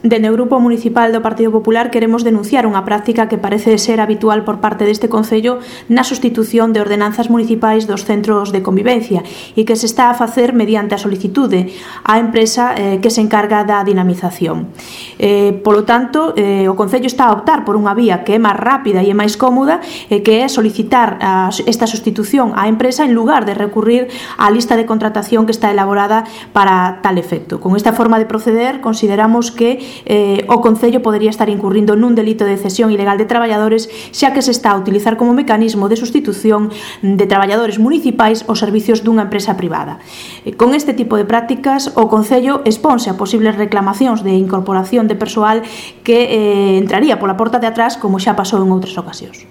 Dende o Grupo Municipal do Partido Popular queremos denunciar unha práctica que parece ser habitual por parte deste Concello na sustitución de ordenanzas municipais dos centros de convivencia e que se está a facer mediante a solicitude á empresa que se encarga da dinamización. Polo tanto, o Concello está a optar por unha vía que é máis rápida e é máis cómoda, que é solicitar esta sustitución á empresa en lugar de recurrir á lista de contratación que está elaborada para tal efecto. Con esta forma de proceder, consideramos que o Concello podería estar incurrindo nun delito de cesión ilegal de traballadores, xa que se está a utilizar como mecanismo de sustitución de traballadores municipais aos servicios dunha empresa privada. Con este tipo de prácticas, o Concello exponse a posibles reclamacións de incorporación de persoal que entraría pola porta de atrás, como xa pasou en outras ocasións.